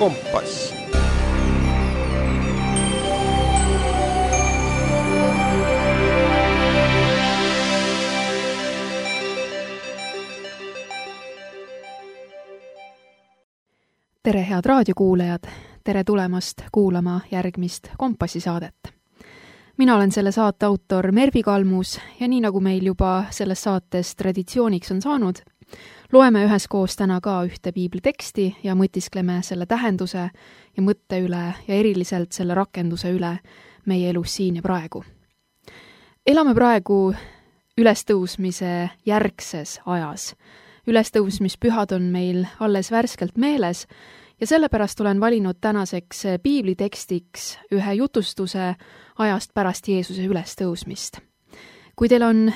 Kompass. Tere, head raadiokuulajad! Tere tulemast kuulama järgmist Kompassi saadet. Mina olen selle saate autor Mervi Kalmus ja nii nagu meil juba selles saates traditsiooniks on saanud, loeme üheskoos täna ka ühte piibliteksti ja mõtiskleme selle tähenduse ja mõtte üle ja eriliselt selle rakenduse üle meie elus siin ja praegu. Elame praegu ülestõusmise järgses ajas. Ülestõusmispühad on meil alles värskelt meeles ja sellepärast olen valinud tänaseks piiblitekstiks ühe jutustuse ajast pärast Jeesuse ülestõusmist. Kui teil on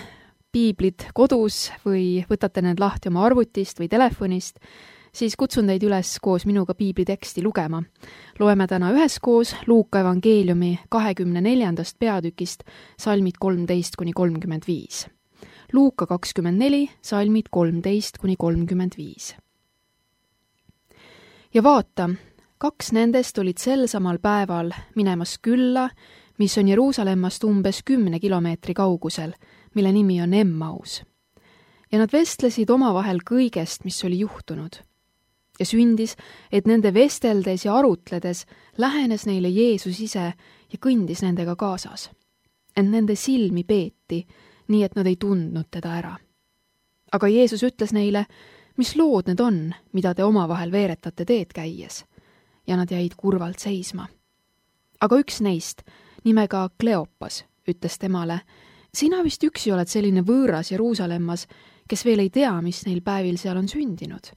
piiblid kodus või võtate need lahti oma arvutist või telefonist, siis kutsun teid üles koos minuga piibliteksti lugema. Loeme täna üheskoos Luuka evangeeliumi 24. peatükist salmid 13-35. Luuka 24, salmid 13-35. Ja vaata, 2 nendest olid sel samal päeval minemas külla, mis on Jeruusalemmast umbes 10 kilomeetri kaugusel, mille nimi on Emmaus. Ja nad vestlesid omavahel kõigest, mis oli juhtunud. Ja sündis, et nende vesteldes ja arutledes lähenes neile Jeesus ise ja kõndis nendega kaasas. Ent nende silmi peeti, nii et nad ei tundnud teda ära. Aga Jeesus ütles neile, mis lood need on, mida te omavahel veeretate teed käies, ja nad jäid kurvalt seisma. Aga üks neist, nimega Kleopas, ütles temale, sina vist üksi oled selline võõras Jeruusalemmas, kes veel ei tea, mis neil päevil seal on sündinud.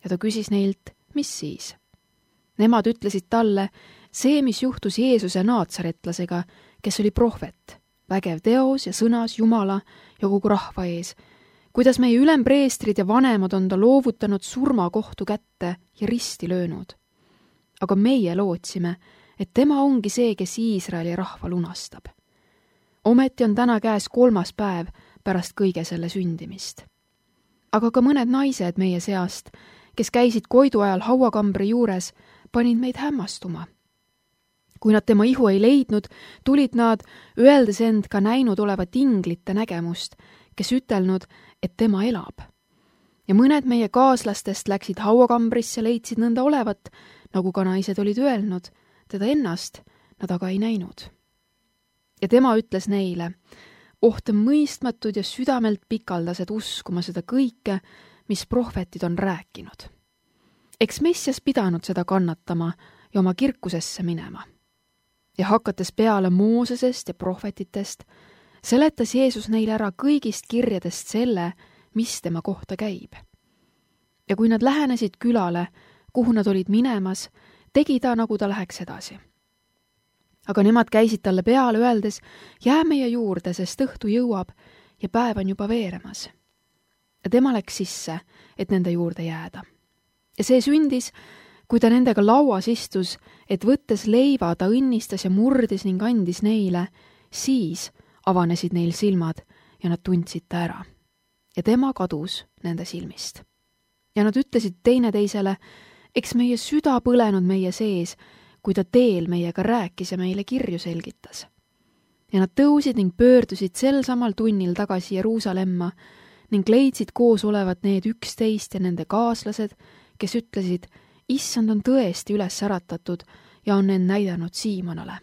Ja ta küsis neilt, mis siis? Nemad ütlesid talle, see, mis juhtus Jeesuse naatsaretlasega, kes oli prohvet, vägev teos ja sõnas Jumala ja kogu rahva ees, kuidas meie ülempreestrid ja vanemad on ta loovutanud surmakohtu kätte ja risti löönud. Aga meie lootsime, et tema ongi see, kes Iisraeli rahva lunastab. Ometi on täna käes 3. päev pärast kõige selle sündimist. Aga ka mõned naised meie seast, kes käisid koidu ajal hauakambri juures, panid meid hämmastuma. Kui nad tema ihu ei leidnud, tulid nad, öeldes end ka näinud olevat inglite nägemust, kes ütelnud, et tema elab. Ja mõned meie kaaslastest läksid hauakambrisse, leidsid nõnda olevat, nagu ka naised olid öelnud, teda ennast nad aga ei näinud. Ja tema ütles neile, ohte mõistmatud ja südamelt pikaldased uskuma seda kõike, mis prohvetid on rääkinud. Eks Messias pidanud seda kannatama ja oma kirkusesse minema. Ja hakates peale Moosesest ja prohvetitest, seletas Jeesus neile ära kõigist kirjadest selle, mis tema kohta käib. Ja kui nad lähenesid külale, kuhu nad olid minemas, tegi ta, nagu ta läheks edasi. Aga nemad käisid talle peale, öeldes, jää meie juurde, sest õhtu jõuab ja päev on juba veeremas. Ja tema läks sisse, et nende juurde jääda. Ja see sündis, kui ta nendega lauas istus, et võttes leiva ta õnnistas ja murdis ning andis neile, siis avanesid neil silmad ja nad tundsid ta ära. Ja tema kadus nende silmist. Ja nad ütlesid teineteisele, eks meie süda põlenud meie sees, kui ta teel meiega rääkis ja meile kirju selgitas. Ja nad tõusid ning pöördusid sel samal tunnil tagasi Jeruusalemma ning leidsid koos olevat need 11 ja nende kaaslased, kes ütlesid, issand on tõesti üles äratatud ja on end näidanud Siimonale.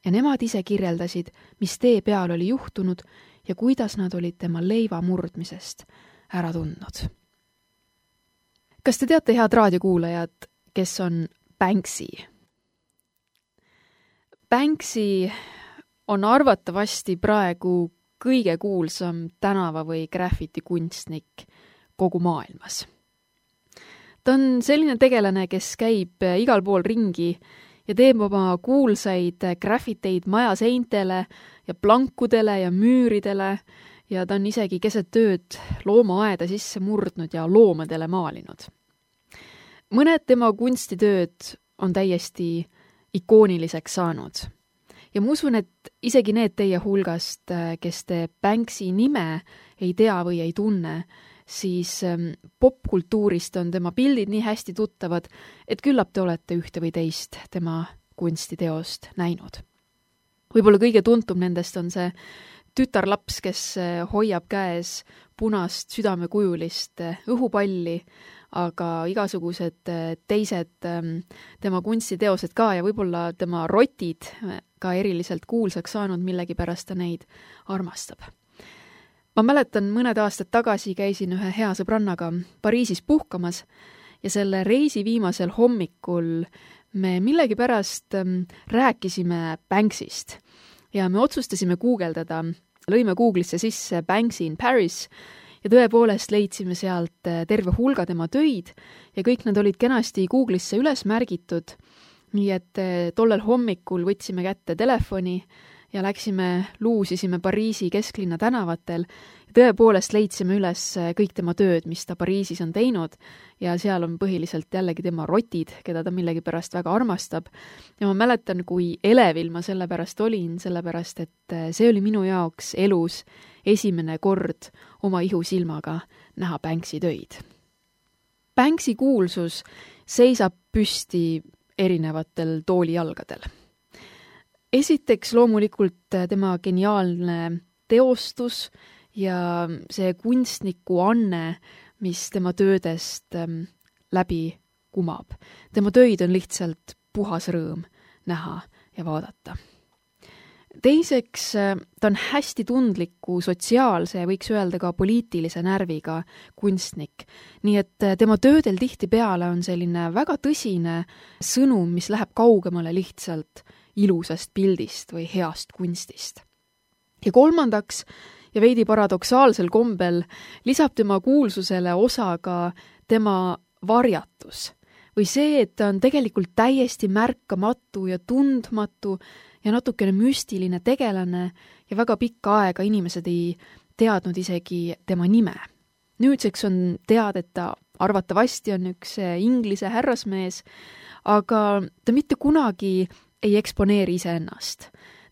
Ja nemad ise kirjeldasid, mis tee peal oli juhtunud ja kuidas nad olid tema leiva murdmisest ära tundnud. Kas te teate, head raadiokuulajad, kes on Banksy? Banksy on arvatavasti praegu kõige kuulsam tänava- või graffitikunstnik kogu maailmas. Ta on selline tegelane, kes käib igal pool ringi ja teeb oma kuulsaid graffiteid majaseintele ja plankudele ja müüridele ja ta on isegi keset tööd loomaaeda sisse murdnud ja loomadele maalinud. Mõned tema kunstitööd on täiesti ikooniliseks saanud. Ja ma usun, et isegi need teie hulgast, kes te Banksy nime ei tea või ei tunne, siis popkultuurist on tema pildid nii hästi tuttavad, et küllap te olete ühte või teist tema kunstiteost näinud. Võib-olla kõige tuntum nendest on see tütarlaps, kes hoiab käes punast südamekujulist õhupalli, aga igasugused teised tema kunstiteosed ka ja võib-olla tema rotid ka eriliselt kuulsaks saanud, millegipärast ta neid armastab. Ma mäletan, mõned aastad tagasi käisin ühe hea sõbrannaga Pariisis puhkamas ja selle reisi viimasel hommikul me millegipärast rääkisime Banksist ja me otsustasime guugeldada, lõime Google'isse sisse Banksy in Paris ja tõepoolest leidsime sealt terve hulga tema töid ja kõik nad olid kenasti Google'isse üles märgitud, nii et tollel hommikul võtsime kätte telefoni ja luusisime Pariisi kesklinna tänavatel ja tõepoolest leidsime üles kõik tema tööd, mis ta Pariisis on teinud ja seal on põhiliselt jällegi tema rotid, keda ta millegipärast väga armastab. Ja ma mäletan, kui elevil ma sellepärast olin, sellepärast et see oli minu jaoks elus esimene kord oma ihusilmaga näha Banksy töid. Banksy kuulsus seisab püsti erinevatel toolijalgadel. Esiteks loomulikult tema geniaalne teostus ja see kunstniku anne, mis tema töödest läbi kumab. Tema töid on lihtsalt puhas rõõm näha ja vaadata. Teiseks, ta on hästi tundliku sotsiaalse ja võiks öelda ka poliitilise närviga kunstnik. Nii et tema töödel tihtipeale on selline väga tõsine sõnum, mis läheb kaugemale lihtsalt ilusast pildist või heast kunstist. Ja kolmandaks, ja veidi paradoksaalsel kombel, lisab tema kuulsusele osa ka tema varjatus. Või see, et ta on tegelikult täiesti märkamatu ja tundmatu ja natukene müstiline tegelane ja väga pikka aega inimesed ei teadnud isegi tema nime. Nüüdseks on teada, et ta arvatavasti on üks Inglise härrasmees, aga ta mitte kunagi ei eksponeeri iseennast.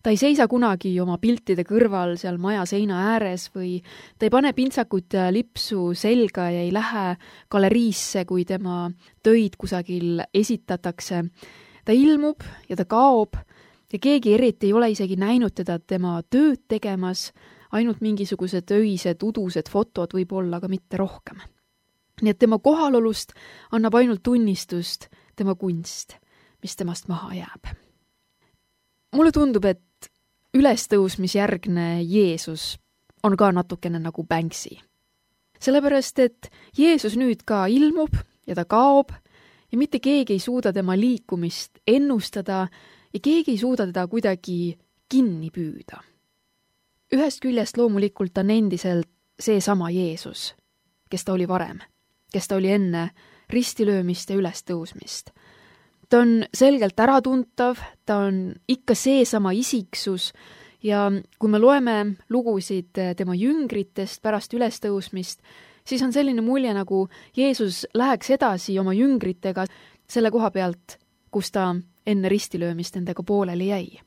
Ta ei seisa kunagi oma piltide kõrval seal maja seina ääres või ta ei pane pintsakut ja lipsu selga ja ei lähe galeriisse, kui tema töid kusagil esitatakse. Ta ilmub ja ta kaob ja keegi eriti ei ole isegi näinud teda tema tööd tegemas, ainult mingisugused öised, udused fotod võib-olla, aga mitte rohkem. Nii et tema kohalolust annab ainult tunnistust tema kunst, mis temast maha jääb. Mulle tundub, et ülestõusmisjärgne Jeesus on ka natukene nagu Banksy. Sellepärast, et Jeesus nüüd ka ilmub ja ta kaob ja mitte keegi ei suuda tema liikumist ennustada ja keegi ei suuda teda kuidagi kinni püüda. Ühest küljest loomulikult on endiselt seesama Jeesus, kes ta oli varem, kes ta oli enne ristilöömist ja ülestõusmist. Ta on selgelt äratuntav, ta on ikka seesama isiksus ja kui me loeme lugusid tema jüngritest pärast ülestõusmist, siis on selline mulje, nagu Jeesus läheks edasi oma jüngritega selle koha pealt, kus ta enne ristilöömist nendega pooleli jäi.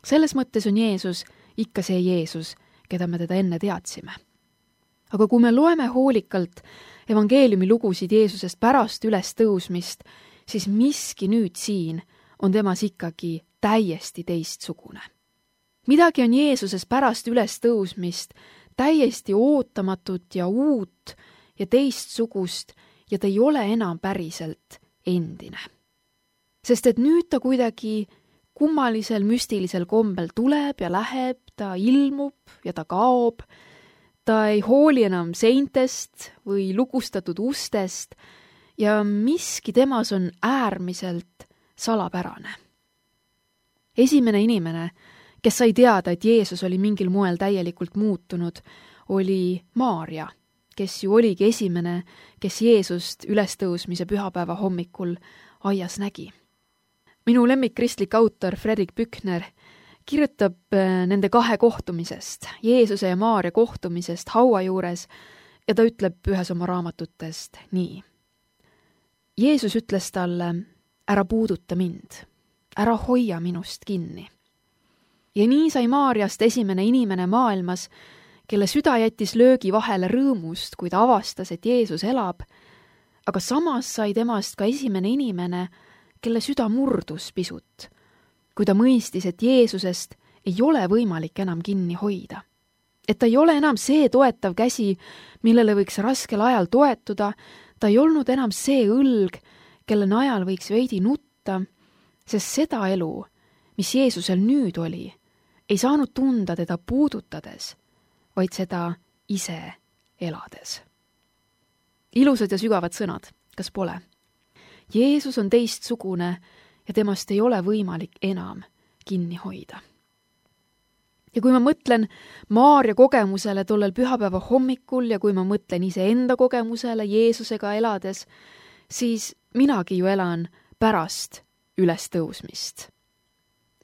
Selles mõttes on Jeesus ikka see Jeesus, keda me teda enne teadsime. Aga kui me loeme hoolikalt evangeeliumi lugusid Jeesusest pärast ülestõusmist, siis miski nüüd siin on temas ikkagi täiesti teistsugune. Midagi on Jeesuses pärast ülestõusmist täiesti ootamatut ja uut ja teistsugust ja ta ei ole enam päriselt endine. Sest et nüüd ta kuidagi kummalisel müstilisel kombel tuleb ja läheb, ta ilmub ja ta kaob, ta ei hooli enam seintest või lukustatud ustest ja miski temas on äärmiselt salapärane. Esimene inimene, kes sai teada, et Jeesus oli mingil moel täielikult muutunud, oli Maarja, kes ju oligi esimene, kes Jeesust ülestõusmise pühapäeva hommikul aias nägi. Minu lemmikkristlik autor Fredrik Büchner kirjutab nende kahe kohtumisest, Jeesuse ja Maarja kohtumisest haua juures ja ta ütleb ühes oma raamatutest nii. Jeesus ütles talle, ära puuduta mind, ära hoia minust kinni. Ja nii sai Maarjast esimene inimene maailmas kelle süda jättis löögi vahele rõõmust, kui ta avastas, et Jeesus elab, aga samas sai temast ka esimene inimene, kelle süda murdus pisut, kui ta mõistis, et Jeesusest ei ole võimalik enam kinni hoida. Et ta ei ole enam see toetav käsi, millele võiks raskel ajal toetuda, ta ei olnud enam see õlg, kelle najal võiks veidi nutta, sest seda elu, mis Jeesusel nüüd oli, ei saanud tunda teda puudutades, vaid seda ise elades. Ilusad ja sügavad sõnad, kas pole? Jeesus on teistsugune ja temast ei ole võimalik enam kinni hoida. Ja kui ma mõtlen Maarja kogemusele tollel pühapäeva hommikul ja kui ma mõtlen iseenda kogemusele Jeesusega elades, siis minagi ju elan pärast ülestõusmist.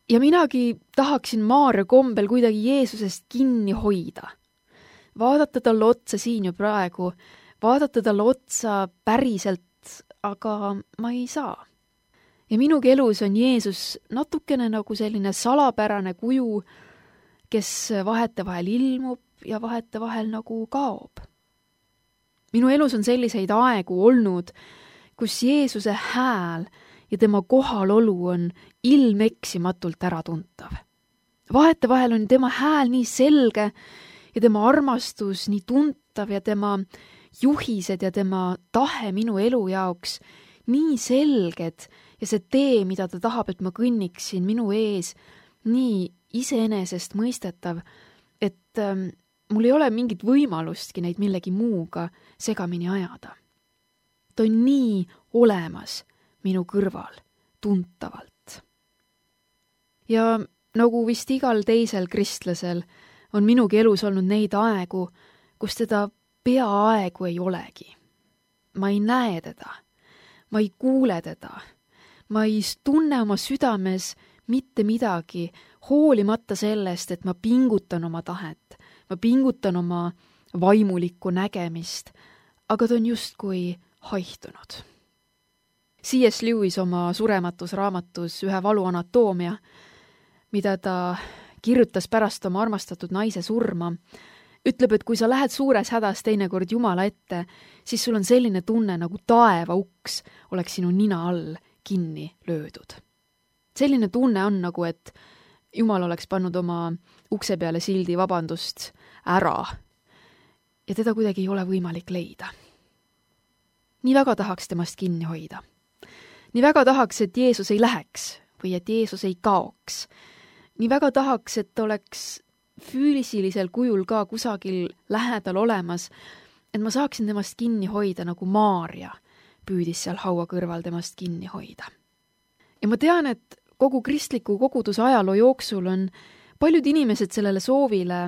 Ja minagi tahaksin Maarja kombel kuidagi Jeesusest kinni hoida. Vaadata talle otsa siin ja praegu, vaadata talle otsa päriselt, aga ma ei saa. Ja minugi elus on Jeesus natukene nagu selline salapärane kuju, kes vahetevahel ilmub ja vahetevahel nagu kaob. Minu elus on selliseid aegu olnud, kus Jeesuse hääl ja tema kohalolu on ilmeksimatult äratuntav. Vahetevahel on tema hääl nii selge ja tema armastus nii tuntav ja tema juhised ja tema tahe minu elu jaoks nii selged ja see tee, mida ta tahab, et ma kõnniksin minu ees, nii iseenesest mõistetav, et mul ei ole mingit võimalustki neid millegi muuga segamini ajada. Ta on nii olemas minu kõrval, tuntavalt. Ja nagu vist igal teisel kristlasel on minugi elus olnud neid aegu, kus teda peaaegu ei olegi. Ma ei näe teda, ma ei kuule teda, ma ei tunne oma südames mitte midagi, hoolimata sellest, et ma pingutan oma tahet, ma pingutan oma vaimulikku nägemist, aga ta on justkui haihtunud. C.S. Lewis oma surematus raamatus Ühe valu anatoomia, mida ta kirjutas pärast oma armastatud naise surma, ütleb, et kui sa lähed suures hädas teinekord Jumala ette, siis sul on selline tunne, nagu taeva uks oleks sinu nina all kinni löödud. Selline tunne on nagu, et Jumal oleks pannud oma ukse peale sildi vabandust ära ja teda kuidagi ei ole võimalik leida. Nii väga tahaks temast kinni hoida. Nii väga tahaks, et Jeesus ei läheks või et Jeesus ei kaoks. Nii väga tahaks, et oleks füüsilisel kujul ka kusagil lähedal olemas, et ma saaksin temast kinni hoida, nagu Maarja püüdis seal haua kõrval temast kinni hoida. Ja ma tean, et kogu kristliku koguduse ajaloo jooksul on paljud inimesed sellele soovile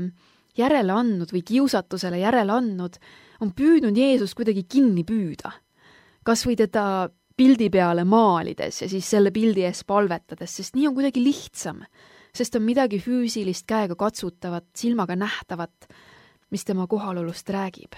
järele andnud või kiusatusele järele andnud, on püüdnud Jeesust kuidagi kinni püüda. Kas või teda pildi peale maalides ja siis selle pildi ees palvetades, sest nii on kuidagi lihtsam, sest on midagi füüsilist, käega katsutavat, silmaga nähtavat, mis tema kohalolust räägib.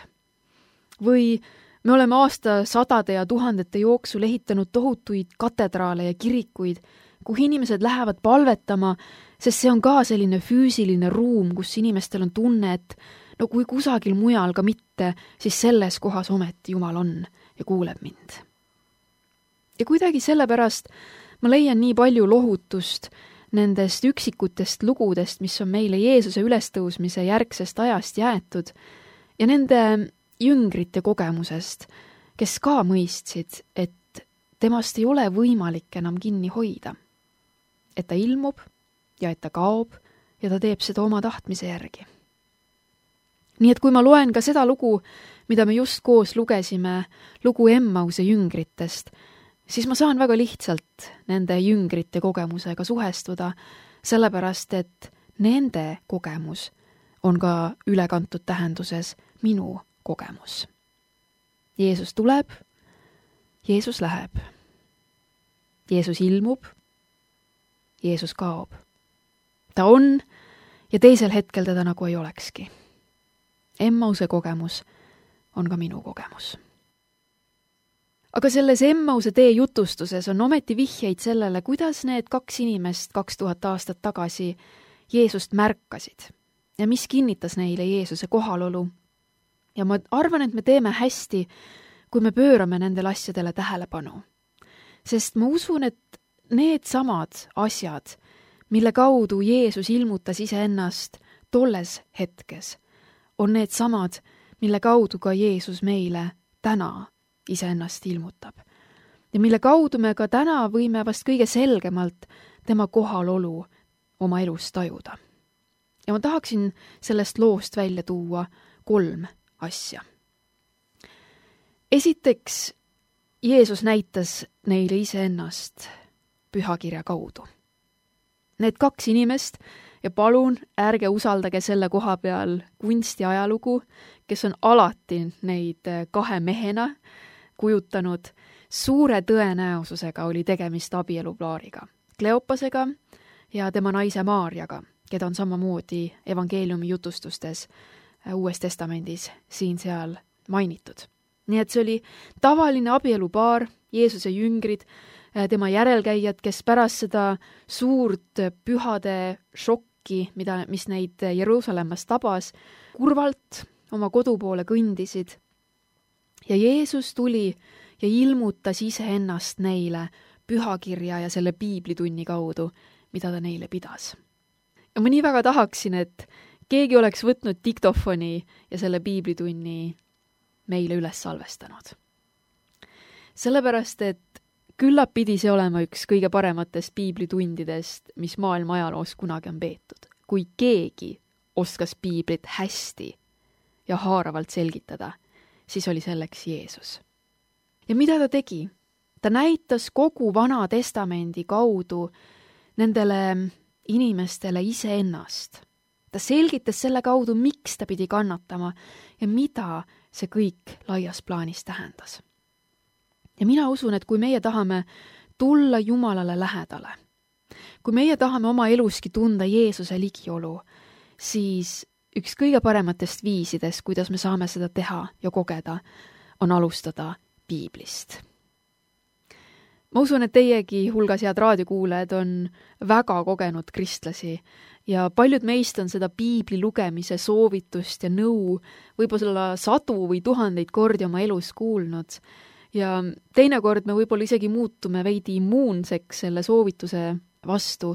Või me oleme aastasadade ja tuhandete jooksul ehitanud tohutuid katedraale ja kirikuid, kuhu inimesed lähevad palvetama, sest see on ka selline füüsiline ruum, kus inimestel on tunne, et no kui kusagil mujal ka mitte, siis selles kohas ometi Jumal on ja kuuleb mind. Ja kuidagi sellepärast ma leian nii palju lohutust nendest üksikutest lugudest, mis on meile Jeesuse ülestõusmise järgsest ajast jäetud ja nende jüngrite kogemusest, kes ka mõistsid, et temast ei ole võimalik enam kinni hoida. Et ta ilmub ja et ta kaob ja ta teeb seda oma tahtmise järgi. Nii et kui ma loen ka seda lugu, mida me just koos lugesime, lugu Emmause jüngritest, siis ma saan väga lihtsalt nende jüngrite kogemusega suhestuda, sellepärast et nende kogemus on ka ülekantud tähenduses minu kogemus. Jeesus tuleb, Jeesus läheb, Jeesus ilmub, Jeesus kaob. Ta on ja teisel hetkel teda nagu ei olekski. Emmause kogemus on ka minu kogemus. Aga selles Emmause tee jutustuses on ometi vihjeid sellele, kuidas need 2 inimest 2000 aastat tagasi Jeesust märkasid ja mis kinnitas neile Jeesuse kohalolu. Ja ma arvan, et me teeme hästi, kui me pöörame nendele asjadele tähelepanu. Sest ma usun, et need samad asjad, mille kaudu Jeesus ilmutas iseennast tolles hetkes, on need samad, mille kaudu ka Jeesus meile täna iseennast ilmutab. Ja mille kaudu me ka täna võime vast kõige selgemalt tema kohalolu oma elus tajuda. Ja ma tahaksin sellest loost välja tuua 3 asja. Esiteks, Jeesus näitas neile iseennast pühakirja kaudu. Need 2 inimest, ja palun ärge usaldage selle koha peal kunsti ajalugu, kes on alati neid 2 mehena kujutanud, suure tõenäosusega oli tegemist abielupaariga, Kleopasega ja tema naise Maarjaga, keda on samamoodi evangeeliumi jutustustes Uues Testamendis siin-seal mainitud. Nii et see oli tavaline abielupaar, Jeesuse jüngrid, tema järelkäijad, kes pärast seda suurt pühade šokki, mis neid Jeruusalemmas tabas, kurvalt oma kodu poole kõndisid. Ja Jeesus tuli ja ilmutas iseennast neile pühakirja ja selle piiblitunni kaudu, mida ta neile pidas. Ja ma nii väga tahaksin, et keegi oleks võtnud diktofoni ja selle piiblitunni meile üles salvestanud. Sellepärast, et küllap pidi see olema üks kõige parematest piiblitundidest, mis maailma ajaloos kunagi on peetud. Kui keegi oskas piiblit hästi ja haaravalt selgitada, siis oli selleks Jeesus. Ja mida ta tegi? Ta näitas kogu Vana Testamendi kaudu nendele inimestele iseennast. Ta selgitas selle kaudu, miks ta pidi kannatama ja mida see kõik laias plaanis tähendas. Ja mina usun, et kui meie tahame tulla Jumalale lähedale, kui meie tahame oma eluski tunda Jeesuse ligiolu, siis üks kõige parematest viisidest, kuidas me saame seda teha ja kogeda, on alustada piiblist. Ma usun, et teiegi hulgas head raadiokuulajad on väga kogenud kristlasi ja paljud meist on seda piibli lugemise soovitust ja nõu võib-olla 100 või 1000 kordi oma elus kuulnud. Ja teinekord me võib-olla isegi muutume veidi immuunseks selle soovituse vastu,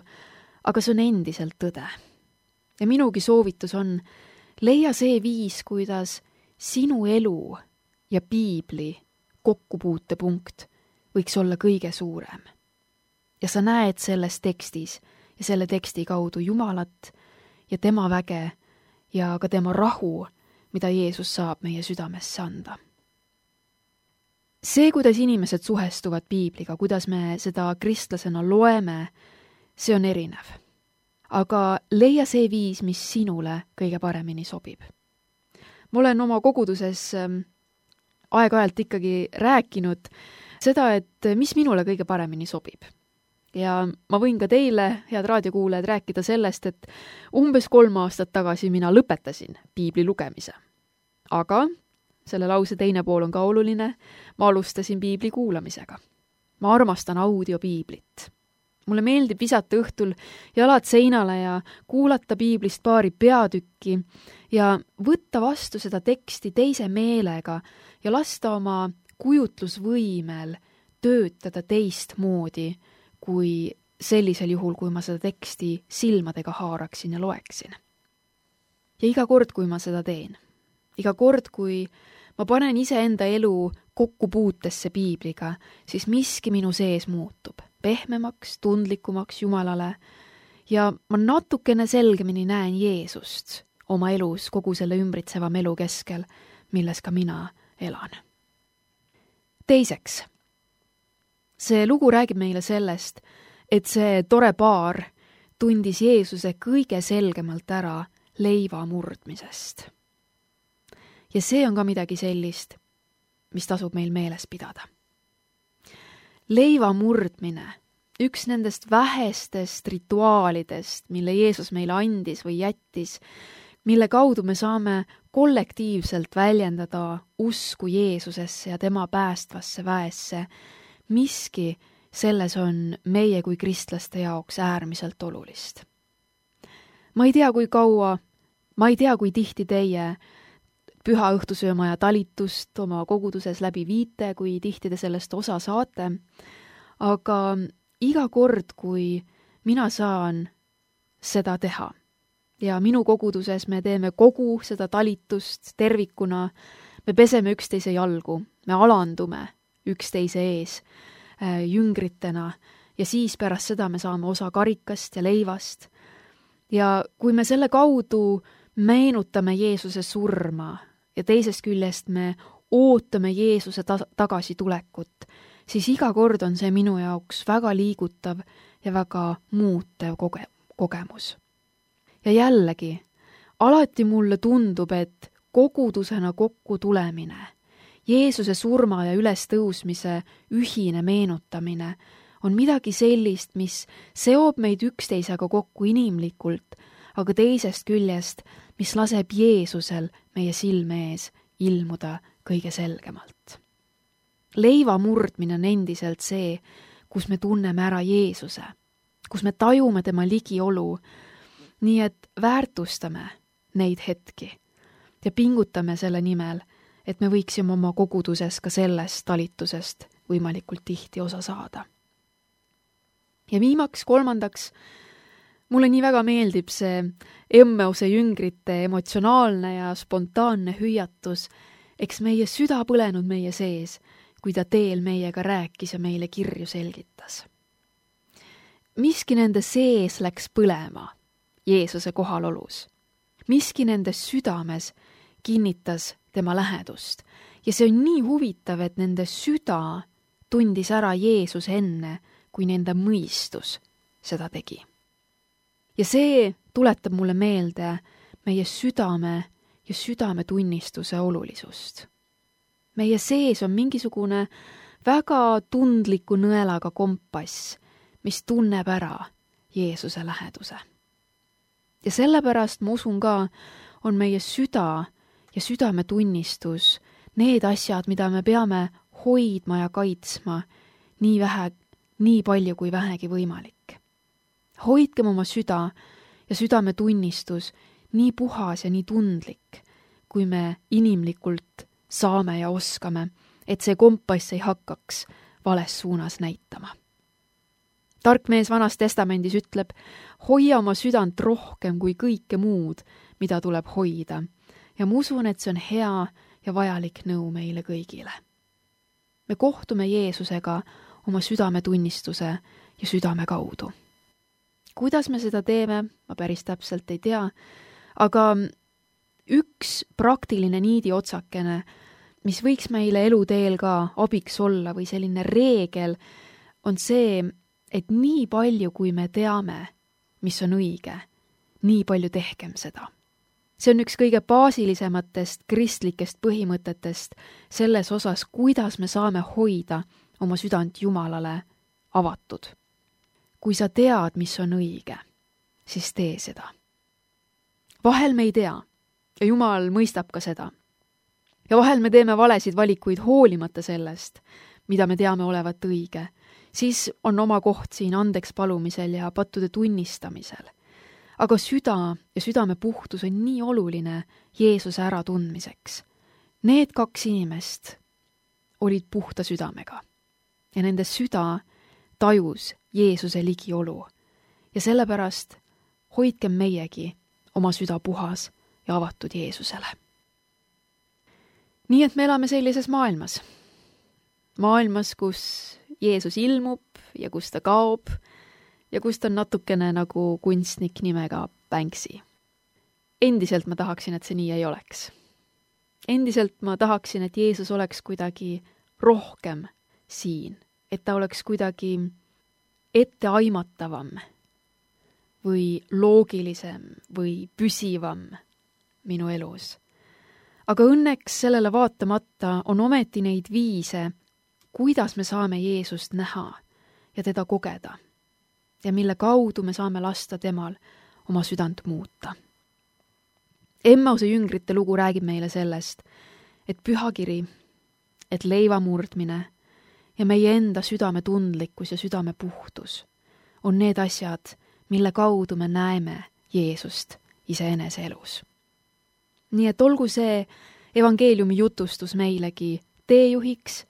aga see on endiselt tõde. Ja minugi soovitus on, leia see viis, kuidas sinu elu ja piibli kokkupuutepunkt võiks olla kõige suurem. Ja sa näed selles tekstis ja selle teksti kaudu Jumalat ja tema väge ja ka tema rahu, mida Jeesus saab meie südamesse anda. See, kuidas inimesed suhestuvad piibliga, kuidas me seda kristlasena loeme, see on erinev. Aga leia see viis, mis sinule kõige paremini sobib. Ma olen oma koguduses aeg-ajalt ikkagi rääkinud seda, et mis minule kõige paremini sobib. Ja ma võin ka teile, head raadiokuulajad, rääkida sellest, et umbes 3 aastat tagasi mina lõpetasin piibli lugemise. Aga selle lause teine pool on ka oluline, ma alustasin piibli kuulamisega. Ma armastan audiopiiblit. Mulle meeldib visata õhtul jalad seinale ja kuulata piiblist paari peatükki ja võtta vastu seda teksti teise meelega ja lasta oma kujutlusvõimel töötada teistmoodi kui sellisel juhul, kui ma seda teksti silmadega haaraksin ja loeksin. Ja iga kord, kui ma seda teen, iga kord, kui ma panen iseenda elu kokkupuutesse piibliga, siis miski minu sees muutub pehmemaks, tundlikumaks Jumalale ja ma natukene selgemini näen Jeesust oma elus kogu selle ümbritseva elu keskel, milles ka mina elan. Teiseks, see lugu räägib meile sellest, et see tore paar tundis Jeesuse kõige selgemalt ära leiva murdmisest. Ja see on ka midagi sellist, mis tasub meil meeles pidada. Leiva murdmine, üks nendest vähestest rituaalidest, mille Jeesus meile andis või jättis, mille kaudu me saame kollektiivselt väljendada usku Jeesusesse ja tema päästvasse väesse, miski selles on meie kui kristlaste jaoks äärmiselt olulist. Ma ei tea, kui kaua Ma ei tea, kui tihti teie püha õhtusöömaja talitust oma koguduses läbi viite, kui tihti te sellest osa saate, aga iga kord, kui mina saan seda teha ja minu koguduses me teeme kogu seda talitust tervikuna, me peseme üksteise jalgu, me alandume üksteise ees jüngritena ja siis pärast seda me saame osa karikast ja leivast. Ja kui me selle kaudu meenutame Jeesuse surma ja teisest küljest me ootame Jeesuse tagasitulekut, siis iga kord on see minu jaoks väga liigutav ja väga muutev kogemus. Ja jällegi, alati mulle tundub, et kogudusena kokku tulemine, Jeesuse surma ja ülestõusmise ühine meenutamine on midagi sellist, mis seob meid üksteisega kokku inimlikult, aga teisest küljest, mis laseb Jeesusel meie silme ees ilmuda kõige selgemalt. Leiva murdmine on endiselt see, kus me tunneme ära Jeesuse, kus me tajume tema ligiolu, nii et väärtustame neid hetki ja pingutame selle nimel, et me võiksime oma koguduses ka sellest talitusest võimalikult tihti osa saada. Ja viimaks, kolmandaks, mulle nii väga meeldib see Emmeuse jüngrite emotsionaalne ja spontaanne hüüatus, eks meie süda põlenud meie sees, kui ta teel meiega rääkis ja meile kirju selgitas. Miski nende sees läks põlema Jeesuse kohalolus. Miski nende südames kinnitas tema lähedust ja see on nii huvitav, et nende süda tundis ära Jeesus enne, kui nende mõistus seda tegi. Ja see tuletab mulle meelde meie südame ja südametunnistuse olulisust. Meie sees on mingisugune väga tundliku nõelaga kompass, mis tunneb ära Jeesuse läheduse. Ja sellepärast ma usun ka, on meie süda ja südametunnistus need asjad, mida me peame hoidma ja kaitsma nii palju kui vähegi võimalik. Hoidkem oma süda ja südametunnistus nii puhas ja nii tundlik, kui me inimlikult saame ja oskame, et see kompass ei hakkaks vales suunas näitama. Tark mees Vanas Testamendis ütleb, hoia oma südant rohkem kui kõike muud, mida tuleb hoida. Ja ma usun, et see on hea ja vajalik nõu meile kõigile. Me kohtume Jeesusega oma südametunnistuse ja südame kaudu. Kuidas me seda teeme, ma päris täpselt ei tea, aga üks praktiline niidi otsakene, mis võiks meile eluteel ka abiks olla või selline reegel, on see, et nii palju, kui me teame, mis on õige, nii palju tehkem seda. See on üks kõige baasilisematest kristlikest põhimõtetest selles osas, kuidas me saame hoida oma südant Jumalale avatud. Kui sa tead, mis on õige, siis tee seda. Vahel me ei tea ja Jumal mõistab ka seda. Ja vahel me teeme valesid valikuid hoolimata sellest, mida me teame olevat õige. Siis on oma koht siin andeks palumisel ja pattude tunnistamisel. Aga süda ja südame puhtus on nii oluline Jeesuse äratundmiseks. Need kaks inimest olid puhta südamega ja nende süda tajus Jeesuse ligiolu ja sellepärast hoidkem meiegi oma süda puhas ja avatud Jeesusele. Nii et me elame sellises maailmas. Maailmas, kus Jeesus ilmub ja kus ta kaob ja kus ta on natukene nagu kunstnik nimega Banksy. Endiselt ma tahaksin, et see nii ei oleks. Endiselt ma tahaksin, et Jeesus oleks kuidagi rohkem siin, et ta oleks kuidagi etteaimatavam või loogilisem või püsivam minu elus. Aga õnneks sellele vaatamata on ometi neid viise, kuidas me saame Jeesust näha ja teda kogeda ja mille kaudu me saame lasta temal oma südant muuta. Emmeuse jüngrite lugu räägib meile sellest, et pühakiri, et leiva murdmine ja meie enda südame tundlikkus ja südame puhtus on need asjad, mille kaudu me näeme Jeesust iseenese elus. Nii et olgu see evangeeliumi jutustus meilegi teejuhiks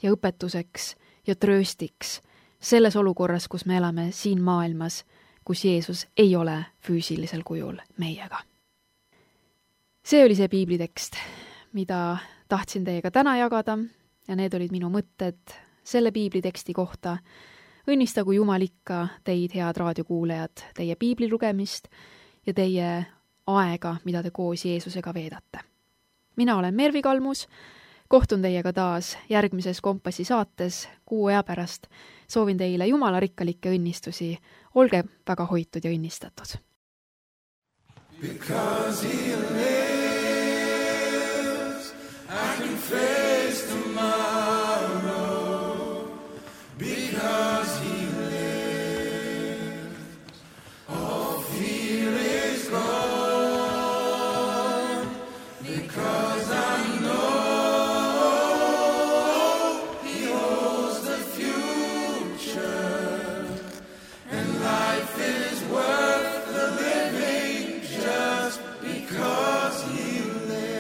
ja õpetuseks ja trööstiks selles olukorras, kus me elame siin maailmas, kus Jeesus ei ole füüsilisel kujul meiega. See oli see piiblitekst, mida tahtsin teiega täna jagada ja need olid minu mõtted selle piibliteksti kohta. Õnnistagu Jumal ikka teid, head raadiokuulejad, teie piibli lugemist ja teie aega, mida te koos Jeesusega veedate. Mina olen Mervi Kalmus, kohtun teiega taas järgmises Kompassi saates 6 kuu pärast. Soovin teile Jumala rikkalikke õnnistusi. Olge väga hoitud ja õnnistatud. Because he lives, I can face tomorrow. Because he lives, all fear is gone. Because I know he holds the future, and life is worth the living just because he lives.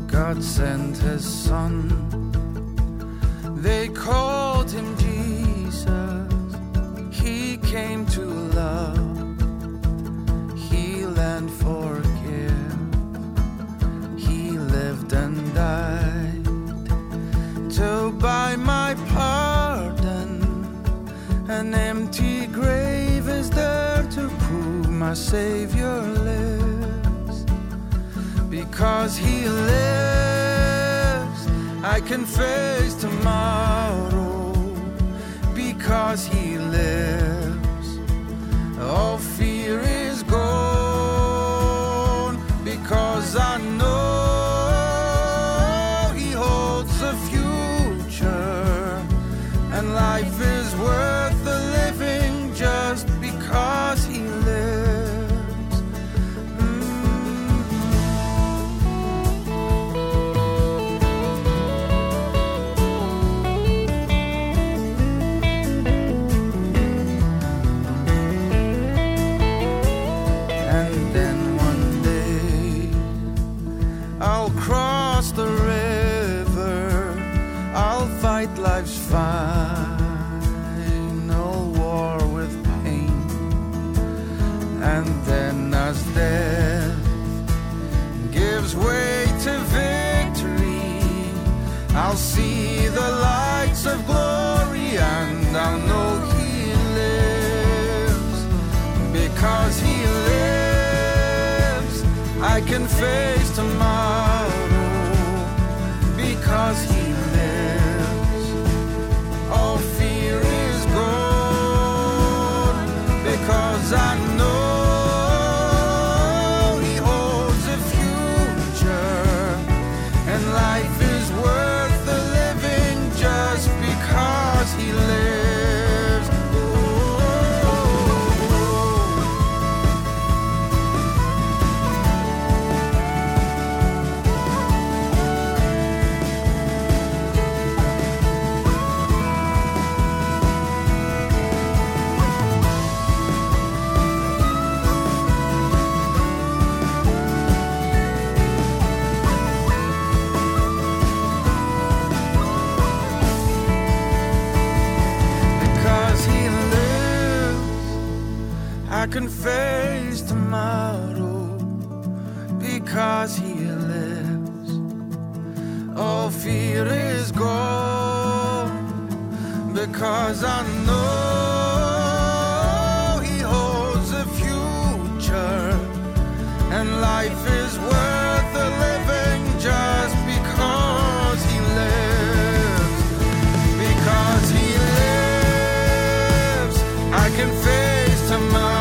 God sent his son, they called him Jesus. He came to love, heal and forgive. He lived and died to buy my pardon. An empty grave is there to prove my Savior lives. Because he lives, I can face tomorrow. Because he lives, all fear is gone. Because I know he holds the future, and life is worth the living just because he lives. The river, I'll fight life's final war with pain. And then as death gives way to victory, I'll see the lights of glory, and I'll know he lives. Because he lives, I can face tomorrow. Because he lives, all fear is gone. Because I know he holds a future, and life is worth the living just because he lives. I can face tomorrow. Because he lives, all fear is gone. Because I know he holds the future, and life is worth the living just because he lives. Because he lives, I can face tomorrow.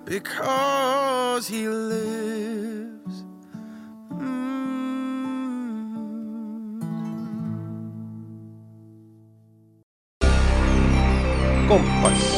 because he lives. Kompass.